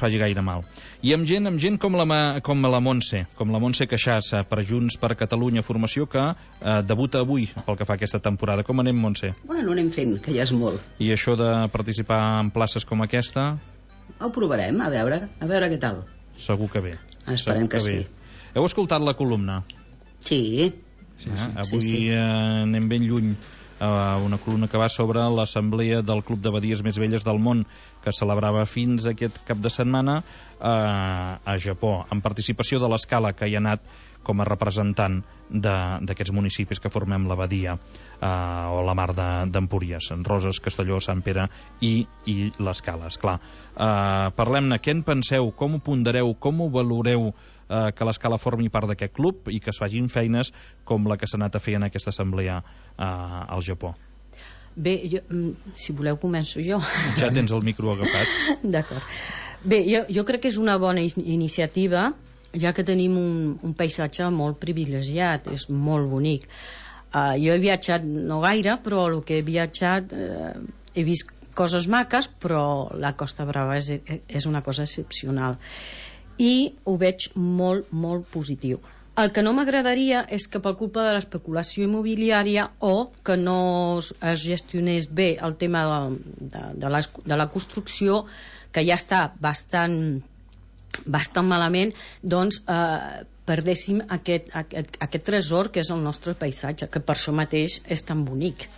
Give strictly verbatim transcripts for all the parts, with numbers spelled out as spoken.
faci gaire mal. I amb gent, amb gent com la, com la Montse, com la Montse Queixassa, per Junts per Catalunya, formació que eh, debuta avui pel que fa a aquesta temporada. Com anem, Montse? Bueno, anem fent, que ja és molt. I això de participar en places com aquesta? Ho provarem, a veure, a veure què tal. Segur que bé. Esperem Segur que, que sí. Heu escoltat la columna? Sí. Sí, sí. Eh? Avui sí, sí. Eh, anem ben lluny. Uh, una columna que va sobre l'assemblea del Club de Badies Més Velles del Món, que celebrava fins aquest cap de setmana uh, a Japó, amb participació de l'Escala, que hi ha anat com a representant d'aquests municipis que formem la Badia, uh, o la Mar d'Empúries, Roses, Castelló, Sant Pere i, i l'Escala, esclar. Uh, Parlem-ne, què en penseu, com ho pondereu, com ho valoreu, eh, que l'Escala formi part d'aquest club i que es facin feines com la que s'ha anat a fer en aquesta assemblea eh, al Japó? Bé, jo, si voleu començo jo. Ja tens el micro agafat. D'acord. Bé, jo, jo crec que és una bona iniciativa, ja que tenim un, un paisatge molt privilegiat, és molt bonic. Uh, jo he viatjat no gaire, però el que he viatjat uh, he vist coses maques, però la Costa Brava és, és una cosa excepcional. I ho veig molt, molt positiu. El que no m'agradaria és que per culpa de l'especulació immobiliària o que no es gestionés bé el tema de, de, de, la, de la construcció, que ja està bastant, bastant malament, doncs eh, perdéssim aquest, aquest, aquest tresor que és el nostre paisatge, que per això mateix és tan bonic.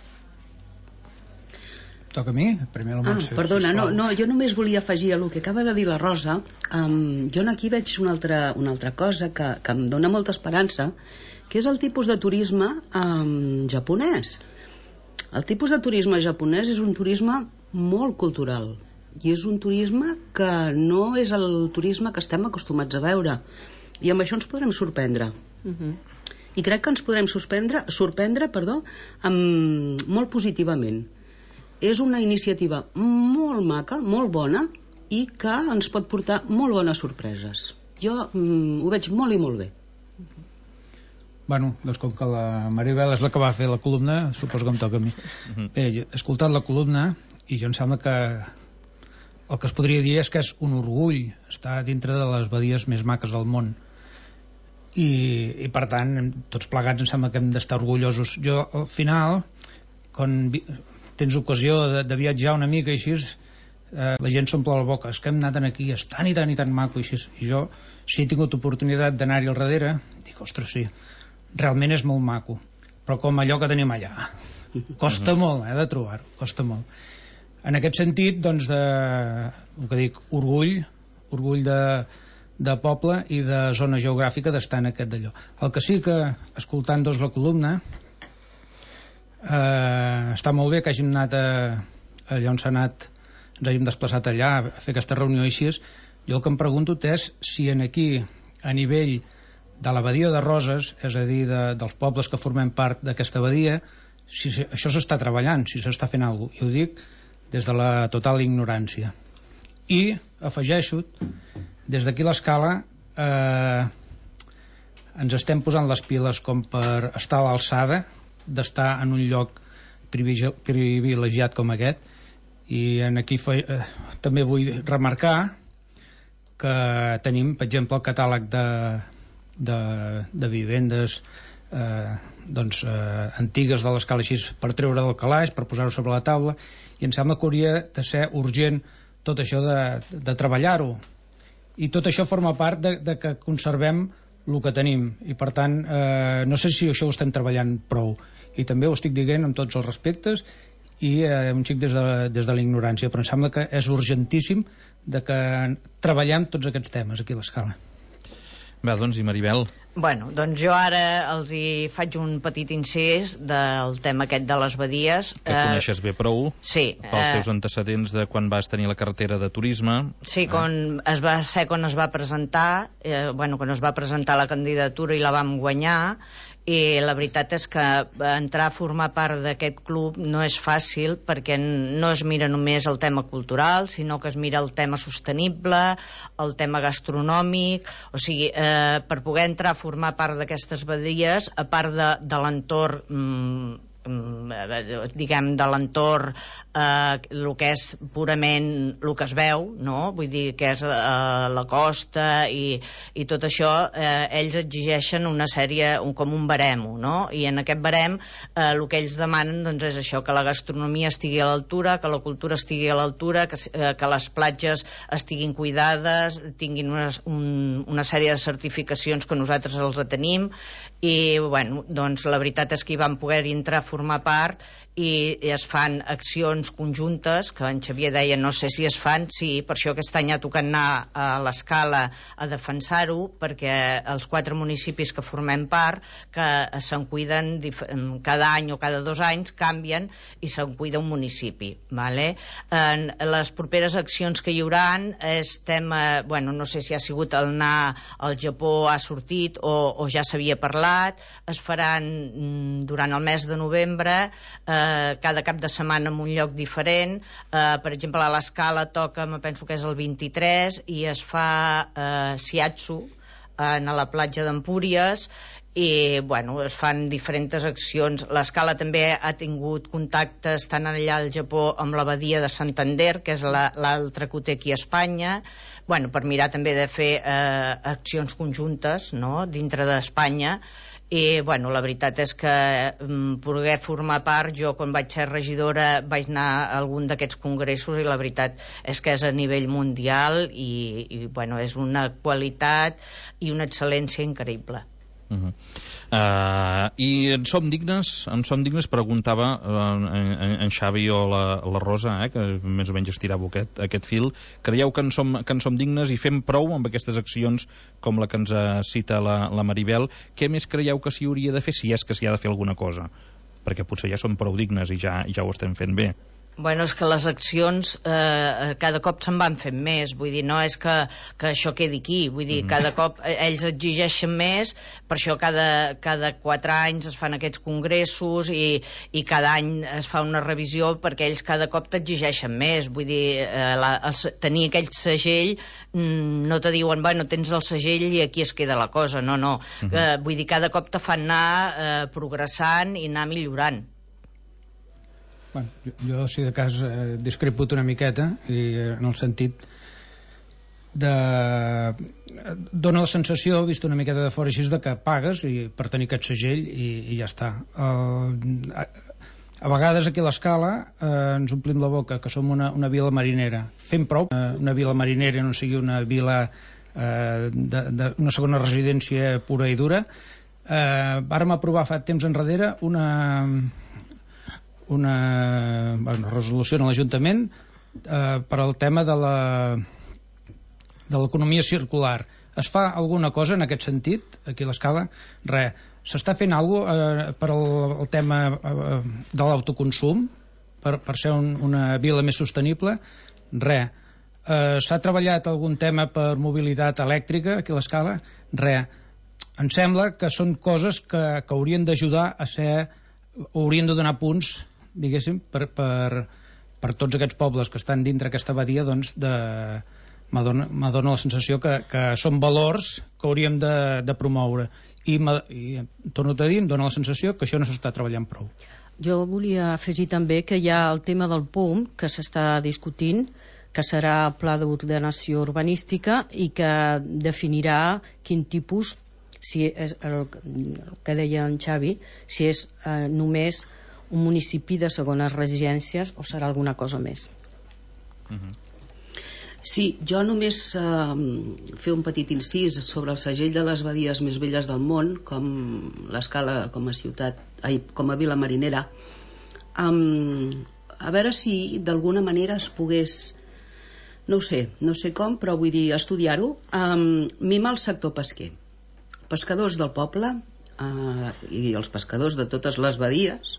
Toca a mi? Primer la Montse. Ah, perdona, no, no, jo només volia afegir a el que acaba de dir la Rosa. Um, jo aquí veig una altra, una altra cosa que, que em dona molta esperança, que és el tipus de turisme um, japonès. El tipus de turisme japonès és un turisme molt cultural i és un turisme que no és el turisme que estem acostumats a veure, i amb això ens podrem sorprendre. Uh-huh. I crec que ens podrem sorprendre, sorprendre perdó, um, molt positivament. És una iniciativa molt maca, molt bona, i que ens pot portar molt bones sorpreses. Jo mm, ho veig molt i molt bé. Bueno, doncs com que la Maribel és la que va fer la columna, suposo que em toca a mi. Bé, he escoltat la columna i jo em sembla que el que es podria dir és que és un orgull estar dintre de les badies més maques del món. I, i per tant, tots plegats em sembla que hem d'estar orgullosos. Jo, al final, quan tens ocasió de, de viatjar una mica i així, eh, la gent s'omple la boca, és que hem anat aquí, és tan i tan i tan maco i així. I jo, si he tingut oportunitat d'anar-hi al darrere, dic, ostres, sí, realment és molt maco, però com allò que tenim allà costa uh-huh. molt, eh, de trobar-ho, costa molt. En aquest sentit, doncs, de, el que dic, orgull orgull de, de poble i de zona geogràfica d'estar en aquest d'allò. El que sí que, escoltant doncs la columna, Uh, està molt bé que hàgim anat a, allà on s'ha anat, ens hàgim desplaçat allà a fer aquesta reunió així. Jo el que em pregunto és si en aquí, a nivell de la badia de Roses, és a dir, de, dels pobles que formem part d'aquesta badia, si això s'està treballant, si s'està fent alguna cosa. I ho dic des de la total ignorància. I afegeixo, des d'aquí l'Escala eh, ens estem posant les piles com per estar a l'alçada d'estar en un lloc privilegiat com aquest, i en aquí fe, eh, també vull remarcar que tenim, per exemple, el catàleg de, de, de vivendes eh, doncs, eh, antigues de l'Escala així per treure del calaix, per posar-ho sobre la taula, i em sembla que hauria de ser urgent tot això de, de treballar-ho, i tot això forma part de, de que conservem el que tenim, i per tant eh, no sé si això ho estem treballant prou, i també ho estic dient amb tots els respectes i eh, un xic des de, des de la ignorància, però em sembla que és urgentíssim de que treballem tots aquests temes aquí a l'Escala. Bé, doncs, i Maribel? Bueno, doncs jo ara els hi faig un petit incís del tema aquest de les badies. Que eh, coneixes bé prou, sí, pels teus eh, antecedents de quan vas tenir la cartera de turisme. Sí, quan es va ser quan es va presentar, eh, bueno, quan es va presentar la candidatura i la vam guanyar, i la veritat és que entrar a formar part d'aquest club no és fàcil, perquè no es mira només el tema cultural, sinó que es mira el tema sostenible, el tema gastronòmic, o sigui, eh, per poder entrar a formar part d'aquestes badies, a part de, de l'entorn mm, diguem, de l'entorn, eh, el que és purament el que es veu, no? Vull dir, que és eh, la costa i, i tot això, eh, ells exigeixen una sèrie, un, com un baremo, no? I en aquest barem eh, el que ells demanen, doncs, és això, que la gastronomia estigui a l'altura, que la cultura estigui a l'altura, que, eh, que les platges estiguin cuidades, tinguin una, un, una sèrie de certificacions que nosaltres els tenim, i bueno, doncs la veritat és que hi vam poder entrar a formar part i es fan accions conjuntes que en Xavier deia no sé si es fan, sí, per això aquest any ha tocat anar a l'Escala a defensar-ho, perquè els quatre municipis que formem part, que se'n cuiden cada any o cada dos anys, canvien i se'n cuida un municipi, vale? En les properes accions que hi haurà és tema, bueno, no sé si ha sigut el anar al Japó ha sortit o, o ja s'havia parlat, es faran durant el mes de novembre, eh, cada cap de setmana en un lloc diferent, eh, per exemple a l'Escala toca, me penso que és el vint-i-tres, i es fa eh, shiatsu eh, a la platja d'Empúries, i bueno, es fan diferents accions. L'Escala també ha tingut contactes tant allà al Japó amb la badia de Santander, que és l'altra que ho té aquí a Espanya, bueno, per mirar també de fer eh, accions conjuntes, no?, dintre d'Espanya. I bueno, la veritat és que um, poder formar part, jo quan vaig ser regidora vaig anar a algun d'aquests congressos i la veritat és que és a nivell mundial i, i bueno, és una qualitat i una excel·lència increïble. Uh-huh. Uh, i en som dignes, en som dignes preguntava uh, en, en Xavi o la, la Rosa, eh, que més o menys estirava aquest, aquest fil. Creieu que en, som, que en som dignes i fem prou amb aquestes accions com la que ens cita la, la Maribel? Què més creieu que s'hi hauria de fer, si és que s'hi ha de fer alguna cosa? Perquè potser ja som prou dignes i ja, ja ho estem fent bé. Bueno, és que les accions eh, cada cop se'n van fent més, vull dir, no és que, que això quedi aquí, vull dir, mm-hmm. cada cop ells exigeixen més, per això cada, cada quatre anys es fan aquests congressos i, i cada any es fa una revisió perquè ells cada cop t'exigeixen més, vull dir, eh, la, el, tenir aquell segell, mm, no te diuen, bueno, tens el segell i aquí es queda la cosa, no, no, mm-hmm. eh, vull dir, cada cop te fan anar eh, progressant i anar millorant. Bueno, jo, jo, si de cas, eh, discrepo una miqueta, i en el sentit de... dona la sensació, vist una miqueta de fora així, de que pagues i, per tenir aquest segell i, i ja està. El, a, a vegades aquí a l'Escala eh, ens omplim la boca que som una, una vila marinera. Fem prou eh, una vila marinera no sigui una vila eh, de, de, una segona residència pura i dura. Eh, vàrem aprovar fa temps enrere una... una, una resolució en l'Ajuntament eh, per al tema de la de l'economia circular. Es fa alguna cosa en aquest sentit aquí a l'Escala? Res. S'està fent alguna cosa eh, per al, el tema eh, de l'autoconsum per, per ser un, una vila més sostenible? Res. Eh, s'ha treballat algun tema per mobilitat elèctrica aquí a l'Escala? Res. Em sembla que són coses que, que haurien d'ajudar a ser, haurien de donar punts, diguéssim, per, per, per tots aquests pobles que estan dintre aquesta badia, doncs de, m'adona la sensació que, que són valors que hauríem de, de promoure i, i torno a dir, em dona la sensació que això no s'està treballant prou. Jo volia afegir també que hi ha el tema del P U M que s'està discutint, que serà el Pla d'Ordenació Urbanística i que definirà quin tipus, si és el, el que deia en Xavi, si és eh, només un municipi de segones residències o serà alguna cosa més. Uh-huh. Sí, jo només eh, fer un petit incís sobre el segell de les badies més velles del món, com l'Escala com a ciutat, ai, com a vila marinera, um, a veure si d'alguna manera es pogués, no ho sé, no sé com, però vull dir, estudiar-ho, um, mimar el sector pesquer. Pescadors del poble uh, i els pescadors de totes les badies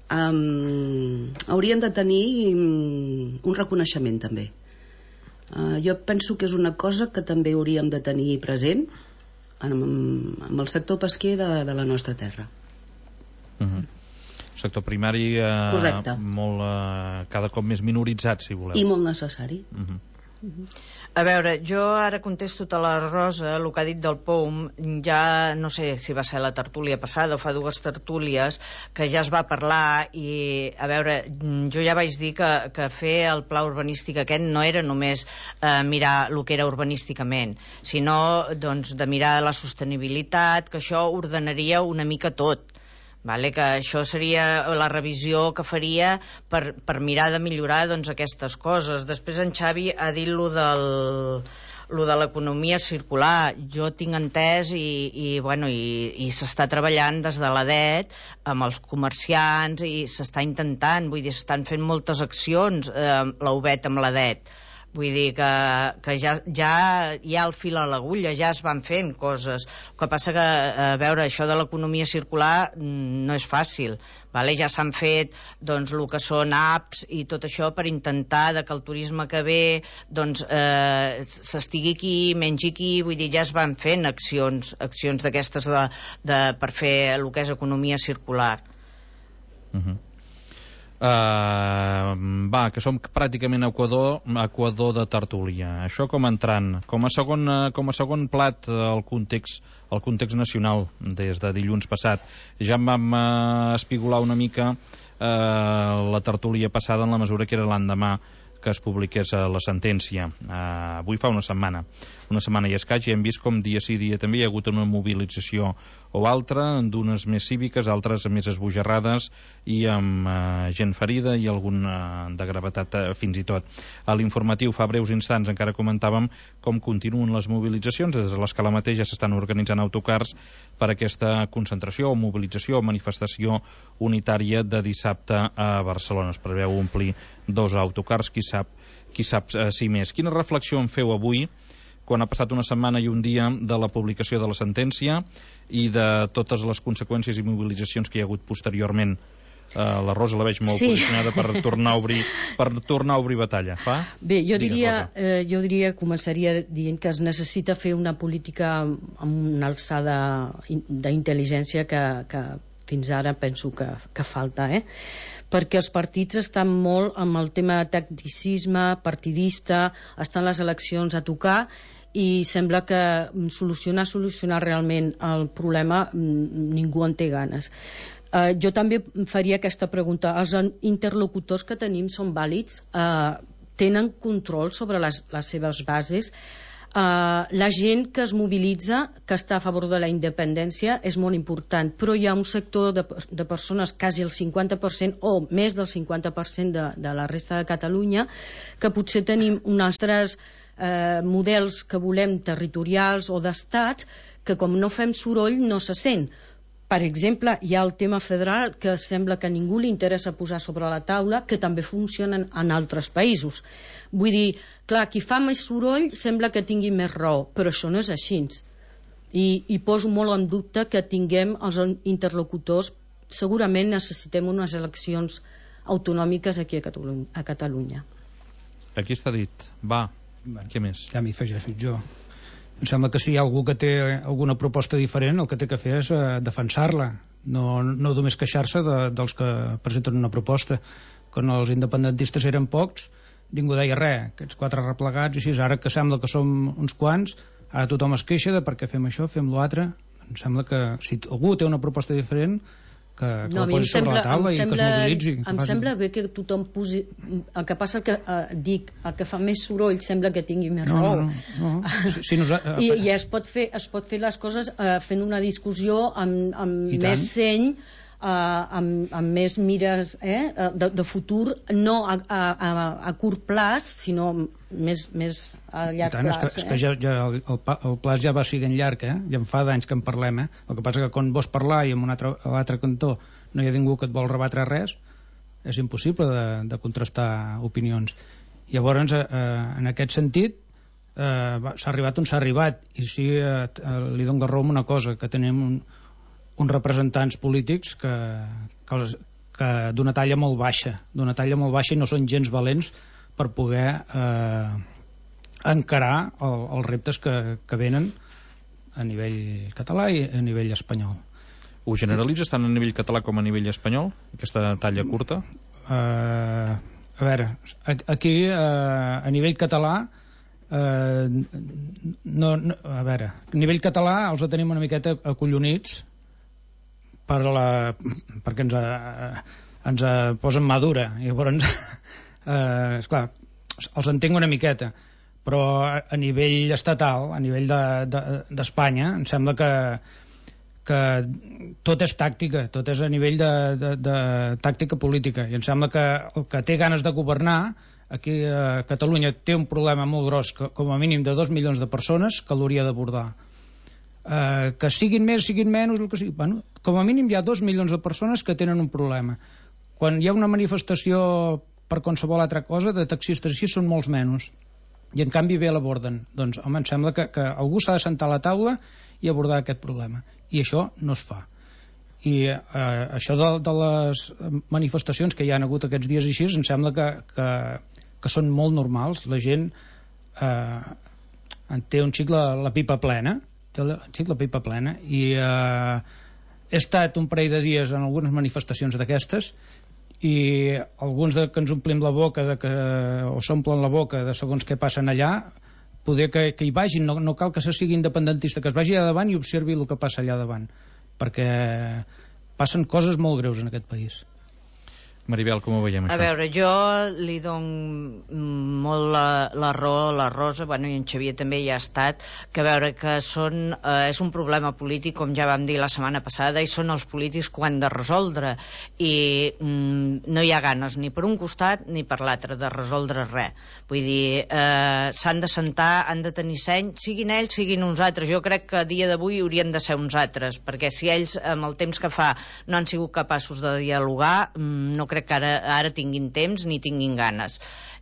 um, haurien de tenir um, un reconeixement també. Uh, jo penso que és una cosa que també hauríem de tenir present amb, amb el sector pesquer de, de la nostra terra. Uh-huh. Sector primari eh, molt, eh, cada cop més minoritzat, si voleu. I molt necessari. Uh-huh. A veure, jo ara contesto a la Rosa, el que ha dit del P O M, ja no sé si va ser la tertúlia passada o fa dues tertúlies, que ja es va parlar i, a veure, jo ja vaig dir que, que fer el pla urbanístic aquest no era només eh, mirar el que era urbanísticament, sinó doncs, de mirar la sostenibilitat, que això ordenaria una mica tot. Vale, que això seria la revisió que faria per, per mirar de millorar doncs, aquestes coses. Després en Xavi ha dit lo del lo de l'economia circular. Jo tinc entès i, i, bueno, i, i s'està treballant des de l'A D E T amb els comerciants i s'està intentant, vull dir, s'estan fent moltes accions, eh, l'A U B E T amb l'A D E T. Vull dir que, que ja, ja hi ha el fil a l'agulla, ja es van fent coses. El que passa que, a veure, això de l'economia circular no és fàcil, vale? Ja s'han fet doncs, el que són apps i tot això per intentar de que el turisme que ve doncs, eh, s'estigui aquí, mengi aquí, vull dir, ja es van fent accions, accions d'aquestes de, de, per fer el que és economia circular. Uh-huh. Uh, va, que som pràcticament a Equador, Equador de tertúlia. Això com entrant. Com a segon, com a segon plat, el context, el context nacional des de dilluns passat. Ja em vam uh, espigolar una mica uh, la tertúlia passada en la mesura que era l'endemà que es publiqués la sentència. Uh, avui fa una setmana. Una setmana i escaig, i hem vist com dia sí dia també hi ha hagut una mobilització o altra, d'unes més cíviques, altres més esbojarrades i amb uh, gent ferida i algun uh, de gravetat uh, fins i tot. A l'informatiu fa breus instants encara comentàvem com continuen les mobilitzacions. Des de l'escala mateix ja s'estan organitzant autocars per aquesta concentració o mobilització o manifestació unitària de dissabte a Barcelona. Es preveu omplir dos autocars, qui sap, qui sap uh, si més. Quina reflexió en feu avui, quan ha passat una setmana i un dia de la publicació de la sentència i de totes les conseqüències i mobilitzacions que hi ha hagut posteriorment? Uh, la Rosa la veig molt sí. posicionada per tornar a obrir, per tornar a obrir batalla. Fa? Bé, jo Digues, diria, eh, jo diria, començaria dient que es necessita fer una política amb una alçada d'intel·ligència que, que fins ara penso que, que falta, eh? Perquè els partits estan molt amb el tema de tacticisme, partidista, estan les eleccions a tocar i sembla que solucionar, solucionar realment el problema ningú en té ganes. Uh, jo també faria aquesta pregunta. Els interlocutors que tenim són vàlids? Uh, tenen control sobre les, les seves bases? Uh, la gent que es mobilitza, que està a favor de la independència, és molt important, però hi ha un sector de, de persones, quasi el cinquanta per cent o més del cinquanta per cent de, de la resta de Catalunya, que potser tenim uns altres eh, models que volem territorials o d'estats, que com no fem soroll no se sent. Per exemple, hi ha el tema federal que sembla que a ningú li interessa posar sobre la taula, que també funcionen en altres països. Vull dir, clar, qui fa més soroll sembla que tingui més raó, però això no és així. I, i poso molt en dubte que tinguem els interlocutors. Segurament necessitem unes eleccions autonòmiques aquí a Catalunya. A Catalunya. Aquí està dit. Va, bueno, què més? Ja m'hi afegeixo jo. Em sembla que si hi ha algú que té alguna proposta diferent, el que té que fer és uh, defensar-la, no, no només queixar-se de, dels que presenten una proposta. Quan els independentistes eren pocs, ningú deia res, aquests quatre replegats, i així, ara que sembla que som uns quants, ara tothom es queixa de per què fem això, fem l'altre. Em sembla que si algú té una proposta diferent, que, que no, la posi sobre la taula i sembla, que es mobilitzi. Que em faci... sembla bé que tothom posi... El que passa que, eh, dic, el que fa més soroll sembla que tingui més no, raó. No, no, no. Si, si nos... I, I es pot fer, es pot fer les coses eh, fent una discussió amb, amb I més tant. seny, eh, amb, amb més mires eh, de, de futur, no a, a, a, a curt plaç, sinó més, més a llarg tant, plaç. És que, és que ja, ja el, el, el plaç ja va siguent llarg, eh? Ja en fa d'anys que en parlem, eh? El que passa que quan vols parlar i en un altre, a l'altre cantó no hi ha ningú que et vol rebatre res, és impossible de, de contrastar opinions. Llavors, eh, en aquest sentit, eh, s'ha arribat on s'ha arribat, i sí, eh, li dono raó amb una cosa, que tenim un, uns representants polítics que, que, que d'una talla molt baixa, d'una talla molt baixa, i no són gens valents per poder eh, encarar el, els reptes que, que venen a nivell català i a nivell espanyol. Ho generalitzes tant a nivell català com a nivell espanyol, aquesta talla curta? Uh, a veure, aquí uh, a nivell català eh, no, no, a veure, a nivell català els tenim una miqueta acollonits per la, perquè ens, a, ens a posen mà dura, i llavors eh, esclar, els entenc una miqueta, però a, a nivell estatal, a nivell d'Espanya, de, de, em sembla que que tot és tàctica, tot és a nivell de, de, de tàctica política, i em sembla que el que té ganes de governar aquí a Catalunya té un problema molt gros, que, com a mínim de dos milions de persones, que l'hauria d'abordar. Eh, que siguin més, siguin menys, el que sigui. Bueno, com a mínim hi ha dos milions de persones que tenen un problema. Quan hi ha una manifestació per qualsevol altra cosa, de taxistes així són molts menys, i en canvi bé l'aborden. Doncs, home, em sembla que, que algú s'ha de sentar a la taula i abordar aquest problema, i això no es fa. I eh, això de, de les manifestacions que hi ha hagut aquests dies així, em sembla que, que, que són molt normals. La gent eh, en té un xic la, la pipa plena, té la, un xic la pipa plena, i eh, he estat un parell de dies en algunes manifestacions d'aquestes, i alguns de, que ens omplim la boca de que, o s'omplen la boca de segons què passen allà, poder que, que hi vagin, no, no cal que se sigui independentista, que es vagi allà davant i observi el que passa allà davant, perquè passen coses molt greus en aquest país. Maribel, com ho veiem, això? A veure, jo li dono molt la, la raó a la Rosa, bueno, i en Xavier també hi ha estat, que a veure que són, eh, és un problema polític, com ja vam dir la setmana passada, i són els polítics que ho han de resoldre, i mm, no hi ha ganes ni per un costat ni per l'altre de resoldre res. Vull dir, eh, s'han de sentar, han de tenir seny, siguin ells, siguin uns altres. Jo crec que a dia d'avui haurien de ser uns altres, perquè si ells, amb el temps que fa, no han sigut capaços de dialogar, mm, no crec que ara, ara tinguin temps ni tinguin ganes.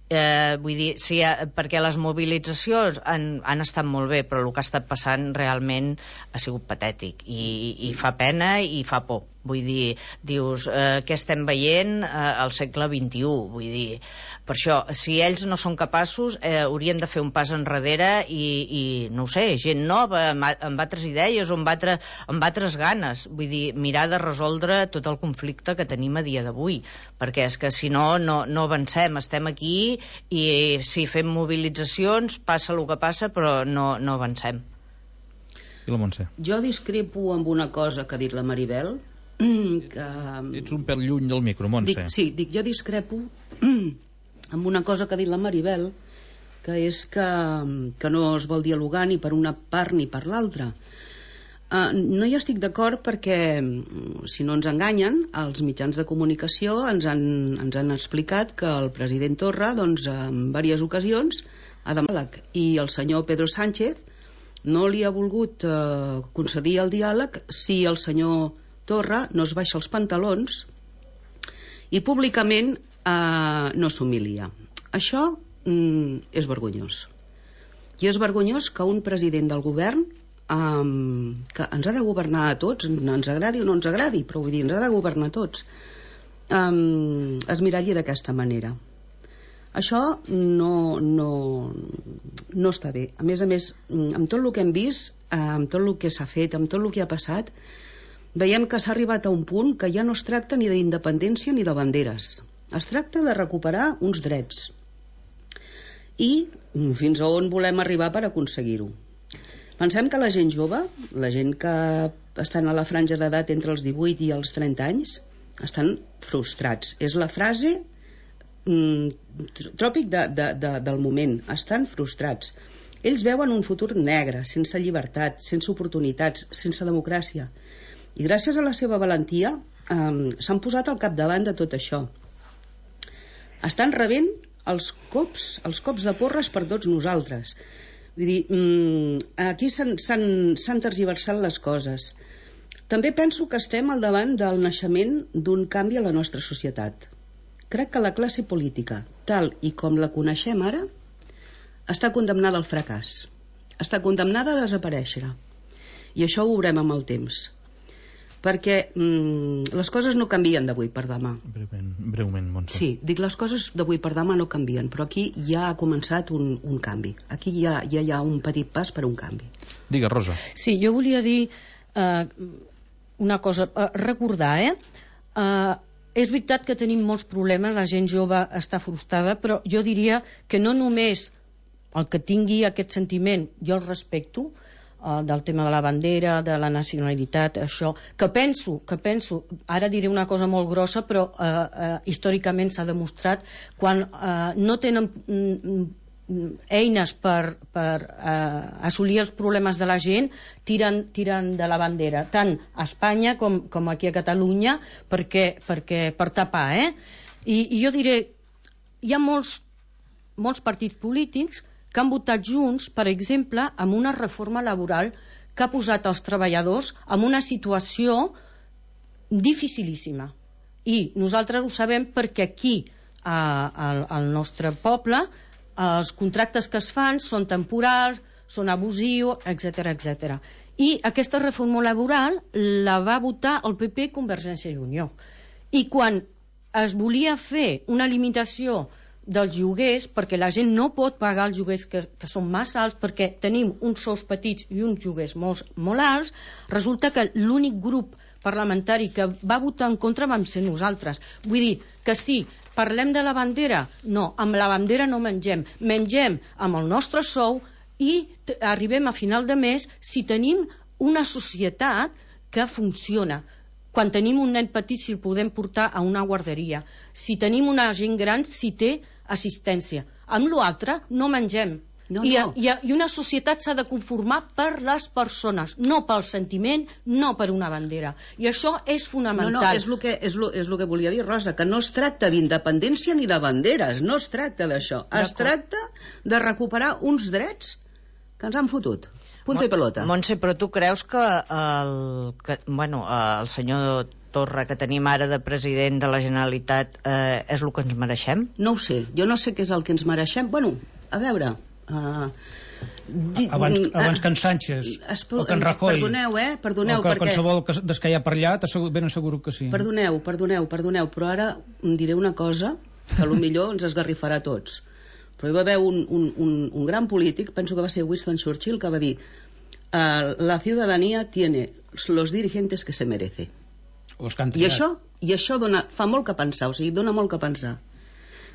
Eh, vull dir, sí, perquè les mobilitzacions han, han estat molt bé, però el que ha estat passant realment ha sigut patètic, i, i fa pena i fa por. Vull dir, dius, eh, què estem veient eh, al segle vint-i-u? Vull dir, per això, si ells no són capaços, eh, haurien de fer un pas enrere i, i no ho sé, gent nova, amb, amb altres idees o amb, altre, amb altres ganes. Vull dir, mirar de resoldre tot el conflicte que tenim a dia d'avui, perquè és que si no, no, no avancem. Estem aquí i si fem mobilitzacions, passa el que passa, però no, no avancem. I la Montse? Jo discrepo amb una cosa que ha dit la Maribel, que... Ets un pèl lluny del micro, Montse. Dic, sí, dic, jo discrepo amb una cosa que ha dit la Maribel, que és que, que no es vol dialogar ni per una part ni per l'altra. Uh, no hi estic d'acord perquè, si no ens enganyen, els mitjans de comunicació ens han, ens han explicat que el president Torra, doncs, en diverses ocasions, ha demanat, i el senyor Pedro Sánchez no li ha volgut uh, concedir el diàleg si el senyor Torra no es baixa els pantalons i públicament eh, no s'humilia. Això mm, és vergonyós. I és vergonyós que un president del govern eh, que ens ha de governar a tots, ens agradi o no ens agradi, però vull dir, ens ha de governar a tots, eh, es miralli d'aquesta manera. Això no, no, no està bé. A més a més, amb tot el que hem vist, amb tot el que s'ha fet, amb tot el que ha passat, veiem que s'ha arribat a un punt que ja no es tracta ni d'independència ni de banderes. Es tracta de recuperar uns drets. I fins a on volem arribar per aconseguir-ho. Pensem que la gent jove, la gent que estan a la franja d'edat entre els divuit i els trenta anys, estan frustrats. És la frase mm, tròpic de, de, de, del moment. Estan frustrats. Ells veuen un futur negre, sense llibertat, sense oportunitats, sense democràcia. I gràcies a la seva valentia eh, s'han posat al capdavant de tot això. Estan rebent els cops, els cops de porres per tots nosaltres. Vull dir, mm, aquí s'han tergiversat les coses. També penso que estem al davant del naixement d'un canvi a la nostra societat. Crec que la classe política, tal i com la coneixem ara, està condemnada al fracàs. Està condemnada a desaparèixer. I això ho veurem amb el temps. Perquè mm, les coses no canvien d'avui per demà. Breument, breument, Montse. Sí, dic, les coses d'avui per demà no canvien, però aquí ja ha començat un, un canvi. Aquí ja, ja hi ha un petit pas per un canvi. Digues, Rosa. Sí, jo volia dir eh, una cosa, eh, recordar, eh? eh? És veritat que tenim molts problemes, la gent jove està frustrada, però jo diria que no només el que tingui aquest sentiment, jo el respecto, uh, del tema de la bandera, de la nacionalitat, això, que penso, que penso, ara diré una cosa molt grossa, però uh, uh, històricament s'ha demostrat, quan uh, no tenen mm, eines per, per uh, assolir els problemes de la gent, tiren, tiren de la bandera, tant a Espanya com, com aquí a Catalunya, perquè, perquè, per tapar, eh? I, i jo diré, hi ha molts, molts partits polítics que han votat junts, per exemple, amb una reforma laboral que ha posat els treballadors en una situació dificilíssima. I nosaltres ho sabem perquè aquí, a, al, al nostre poble, els contractes que es fan són temporals, són abusius, etcètera, etcètera. I aquesta reforma laboral la va votar el P P i Convergència i Unió. I quan es volia fer una limitació dels lloguers, perquè la gent no pot pagar els lloguers que, que són massa alts, perquè tenim uns sous petits i uns lloguers molt, molt alts, resulta que l'únic grup parlamentari que va votar en contra vam ser nosaltres. Vull dir que sí, parlem de la bandera? No, amb la bandera no mengem. Mengem amb el nostre sou i arribem a final de mes si tenim una societat que funciona. Quan tenim un nen petit, si el podem portar a una guarderia. Si tenim una gent gran, si té assistència. Amb l'altre no mengem. No, I, no. I, I una societat s'ha de conformar per les persones, no pel sentiment, no per una bandera. I això és fonamental. No, no, és el que, és lo, és lo que volia dir, Rosa, que no es tracta d'independència ni de banderes, no es tracta d'això. Es tracta de recuperar uns drets que ens han fotut. Punto i pelota. Montse, però tu creus que el, que, bueno, el senyor Torra que tenim ara de president de la Generalitat eh, és el que ens mereixem? No ho sé, jo no sé què és el que ens mereixem. Bueno, a veure... Uh, di, abans, abans que en Sánchez o que en Rajoy, perdoneu, eh? Perdoneu, o que perquè... qualsevol que, des que hi ha per allà ben asseguro que sí. Perdoneu, perdoneu, perdoneu, però ara em diré una cosa que potser ens esgarrifarà a tots. Però hi va haver un, un, un, un gran polític, penso que va ser Winston Churchill, que va dir uh, la ciudadanía tiene los dirigentes que se merece. I això, i això dona, fa molt que pensar, o sigui, dona molt que pensar.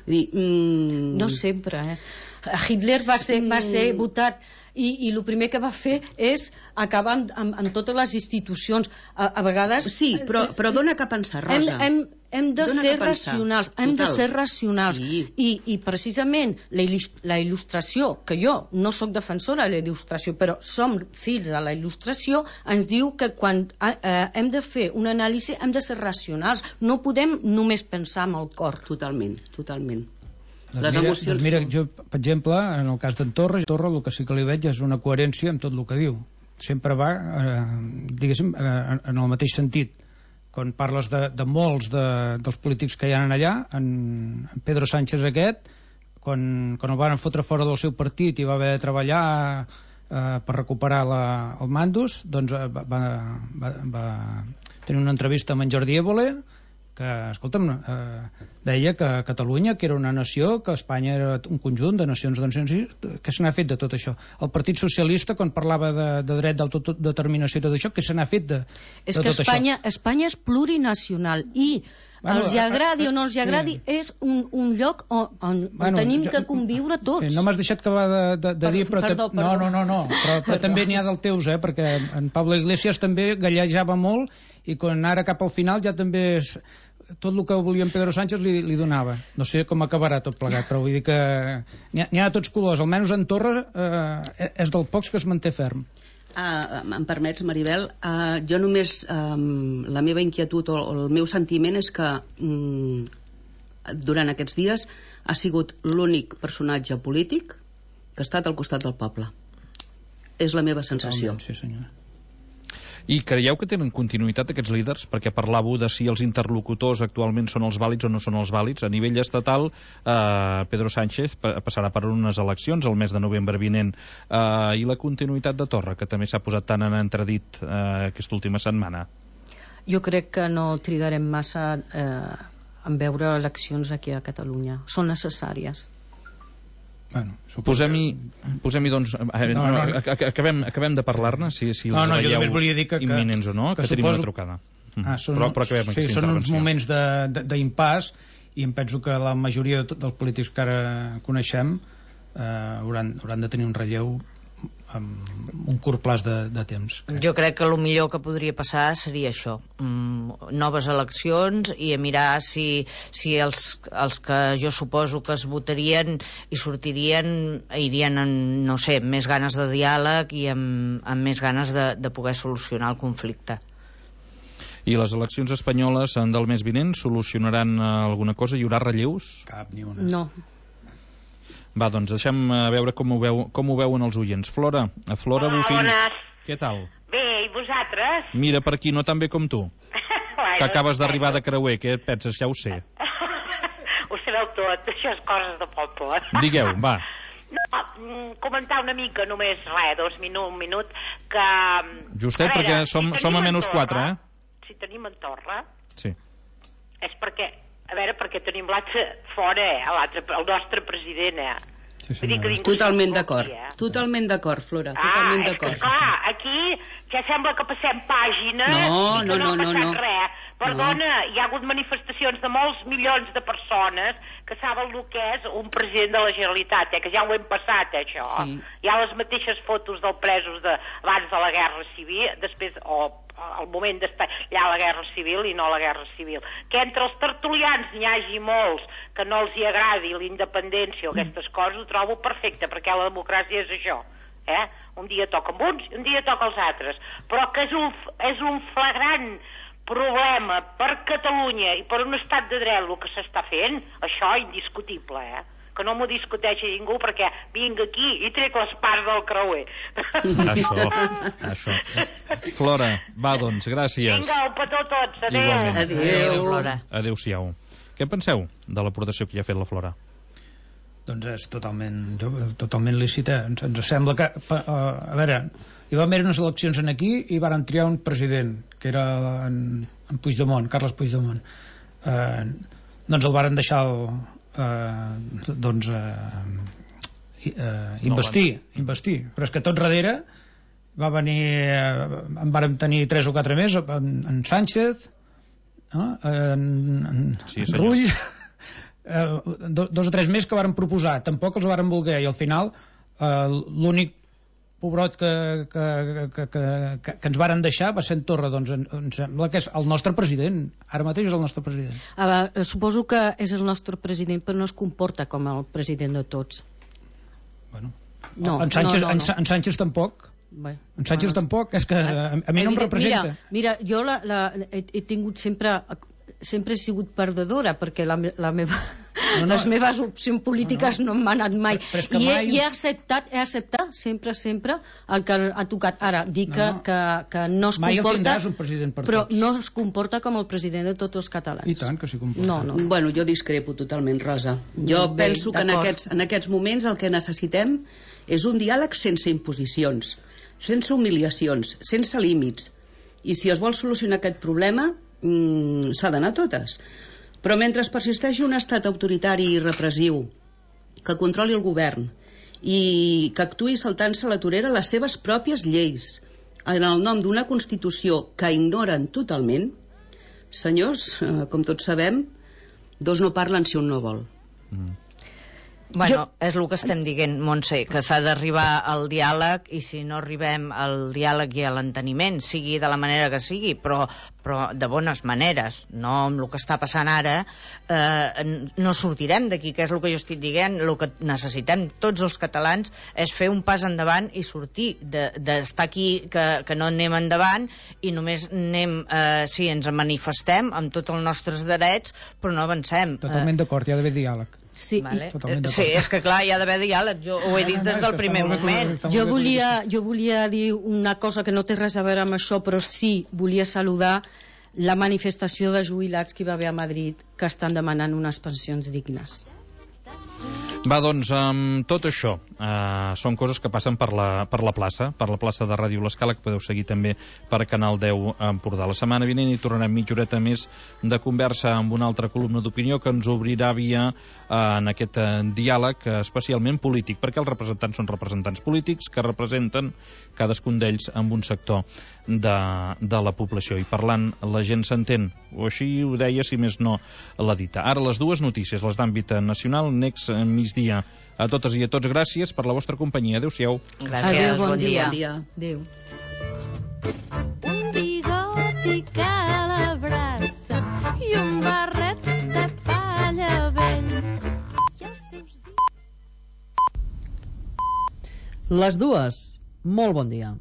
Dir, mm... No sempre, eh? Hitler va ser, va ser votat i, i el primer que va fer és acabar amb, amb, amb totes les institucions. A, a vegades... Sí, però, però dona que pensar, Rosa. Hem, hem, hem de dona ser racionals, hem de ser racionals. Sí. I, I precisament la, la il·lustració, que jo no sóc defensora de la il·lustració, però som fills de la il·lustració, ens diu que quan eh, hem de fer una anàlisi hem de ser racionals. No podem només pensar amb el cor. Totalment, totalment. Doncs les mira, emocions... Doncs mira, jo, per exemple, en el cas d'en Torra, Torra el que sí que li veig és una coherència amb tot el que diu. Sempre va, eh, diguéssim, eh, en el mateix sentit. Quan parles de, de molts de, dels polítics que hi ha allà, en, en Pedro Sánchez aquest, quan, quan el van fotre fora del seu partit i va haver de treballar eh, per recuperar la, el mandos, doncs va, va, va, va tenir una entrevista amb en Jordi Évole, que, escolta'm, eh, deia que Catalunya, que era una nació, que Espanya era un conjunt de nacions, de nacions, que se n'ha fet de tot això. El Partit Socialista, quan parlava de, de dret d'autodeterminació i tot això, que se n'ha fet de, és de que tot Espanya, això. Espanya és plurinacional i bueno, els hi agradi o no els hi agradi, sí. És un, un lloc on, on, on bueno, tenim jo, que conviure tots. Sí, no m'has deixat acabar de, de, de dir, però... Perdó, perdó. No, no, no, no, però, però també n'hi ha del teus, eh, perquè en Pablo Iglesias també gallejava molt i quan ara cap al final ja també és... tot el que volia en Pedro Sánchez li, li donava. No sé com acabarà tot plegat, però vull dir que n'hi ha, n'hi ha de tots colors. Almenys en Torra eh, és del pocs que es manté ferm. Uh, em permets, Maribel, uh, jo només um, la meva inquietud o, o el meu sentiment és que um, durant aquests dies ha sigut l'únic personatge polític que ha estat al costat del poble. És la meva sensació. Sí, senyora. I creieu que tenen continuïtat aquests líders? Perquè parlàveu de si els interlocutors actualment són els vàlids o no són els vàlids. A nivell estatal, eh, Pedro Sánchez passarà per unes eleccions el mes de novembre vinent. Eh, I la continuïtat de Torra, que també s'ha posat tan en entredit eh, aquesta última setmana? Jo crec que no trigarem massa eh, en veure eleccions aquí a Catalunya. Són necessàries. Bueno, posem-hi, posem-hi doncs, no, no, acabem, acabem de parlar-ne, si, si els no, no, veieu dir que, imminents o no, que, que tenim suposo... una trucada. Ah, són, però, però acabem sí, són uns moments d'impàs i em penso que la majoria de, dels polítics que ara coneixem eh, hauran, hauran de tenir un relleu amb un curt plaç de, de temps. Jo crec que el millor que podria passar seria això, mm, noves eleccions i a mirar si, si els, els que jo suposo que es votarien i sortirien irien amb, no sé, amb més ganes de diàleg i amb, amb més ganes de, de poder solucionar el conflicte. I les eleccions espanyoles del mes vinent solucionaran alguna cosa? Hi haurà relleus? Cap ni una. No. Va, doncs deixem veure com ho, veu, com ho veuen els oients. Flora, a Flora Hola, Bofill. bones. Què tal? Bé, i vosaltres? Mira, per aquí no tan bé com tu, bueno, que acabes d'arribar de Creuer. Què et penses? Ja ho sé. Ho sabeu tot, això és coses de poble. Digueu, va. No, comentar una mica, només res, dos minuts, un minut, que... Justet, a veure, perquè som, si som a tenim menys en quatre, Torra, eh? Si tenim en Torra, Sí. és perquè, a veure, perquè tenim l'altre fora, eh, l'altre, el nostre president, eh? Sí, Vull dir que ningú Totalment s'equivoqui, d'acord. eh? Totalment d'acord, Flora. Ah, Totalment és que, d'acord. clar, aquí ja sembla que passem pàgina No, i que no, no, no, ha passat no. res. Perdona, no. Hi ha hagut manifestacions de molts milions de persones que saben el que és un president de la Generalitat, eh, que ja ho hem passat, eh, això. Sí. Hi ha les mateixes fotos dels presos de, abans de la Guerra Civil, després, o al moment d'estar allà la Guerra Civil i no la Guerra Civil. Que entre els tertulians n'hi hagi molts que no els hi agradi la independència o aquestes coses, ho trobo perfecte, perquè la democràcia és això. Eh? Un dia toca amb uns i un dia toca els altres. Però que és un, és un flagrant problema per Catalunya i per un estat de dret el que s'està fent, això indiscutible, eh? Que no m'ho discuteixi ningú perquè vinc aquí i trec les parts del creuer. Això, això. Flora, va, doncs, gràcies. Vinga, un petó a tots, adéu. Igualment. Adéu. Flora. Adéu-siau. Què penseu de l'aportació que ja ha fet la Flora? Doncs és totalment, totalment lícita. Ens, ens sembla que, pa, uh, a veure, hi va haver unes eleccions en aquí i varen triar un president, que era en, en Puigdemont, Carles Puigdemont. Uh, doncs el varen deixar el, uh, doncs uh, uh, investir, no, investir. Però és que tot darrere va venir, uh, en vàrem tenir tres o quatre més, en, en Sánchez, no? en, en, Sí, en Rull... Uh, do, dos o tres més que varen proposar, tampoc els varen voler, i al final uh, l'únic pobrot que, que, que, que, que, que ens varen deixar va ser en Torra. Doncs em, em sembla que és el nostre president, ara mateix és el nostre president. Ah, suposo que és el nostre president, però no es comporta com el president de tots. Bueno, No, en, Sánchez, no, no, no. en Sánchez tampoc. Bé, En Sánchez bueno, tampoc, és que a, a mi no em evident- representa. Mira, mira jo la, la, he, he tingut sempre sempre he sigut perdedora perquè la, me- la meva, No, no. les meves opcions polítiques no, no. no m'han anat mai, Però- però és que i, he, mai- i he acceptat he acceptat sempre, sempre el que ha tocat. Ara, dic No, que, no. que, que no es Mai el comporta tindràs, un president per però tots. no es comporta com el president de tots els catalans. I tant que s'hi comporta. no, no. Bueno, jo discrepo totalment, Rosa. Jo Bé, penso que en d'acord. aquests, en aquests moments el que necessitem és un diàleg sense imposicions, sense humiliacions, sense límits. I si es vol solucionar aquest problema, mmm, s'ha d'anar a totes. Però mentre persisteixi un estat autoritari i repressiu que controli el govern i que actuï saltant-se a la torera les seves pròpies lleis en el nom d'una Constitució que ignoren totalment, senyors, eh, com tots sabem, dos no parlen si un no vol. Bueno, és el que estem dient, Montse, que s'ha d'arribar al diàleg, i si no arribem al diàleg i a l'enteniment, sigui de la manera que sigui, però, però de bones maneres, no amb el que està passant ara, eh, no sortirem d'aquí, que és el que jo estic dient. El que necessitem tots els catalans és fer un pas endavant i sortir d'estar de, aquí, que, que no anem endavant i només anem, eh, sí, ens manifestem amb tots els nostres drets, però no avancem. Totalment d'acord, hi ha d'haver diàleg. Sí, Vale. Totalment d'acord. Sí, és que clar, hi ha d'haver diàleg, jo ho he dit des del primer moment. jo volia, jo volia dir una cosa que no té res a veure amb això, però sí volia saludar la manifestació de jubilats que hi va haver a Madrid, que estan demanant unes pensions dignes. Va, doncs, amb tot això, eh, són coses que passen per la, per la plaça, per la plaça de Ràdio L'Escala, que podeu seguir també per Canal deu a Empordà. La setmana vinent hi tornarem mitja horeta més de conversa amb una altra columna d'opinió que ens obrirà via eh, en aquest eh, diàleg eh, especialment polític, perquè els representants són representants polítics que representen cadascun d'ells amb un sector de, de la població, i parlant la gent s'entén, o així ho deia, si més no l'ha dita. Ara les dues notícies, les d'àmbit nacional, Nex Migdia migdia. A totes i a tots, gràcies per la vostra companyia. Adéu-siau. Gràcies, Adéu, bon, bon dia. dia. Adéu. Un bigoti que l'abraça i un barret de palla vell. I els seus dies... Les dues, molt bon dia.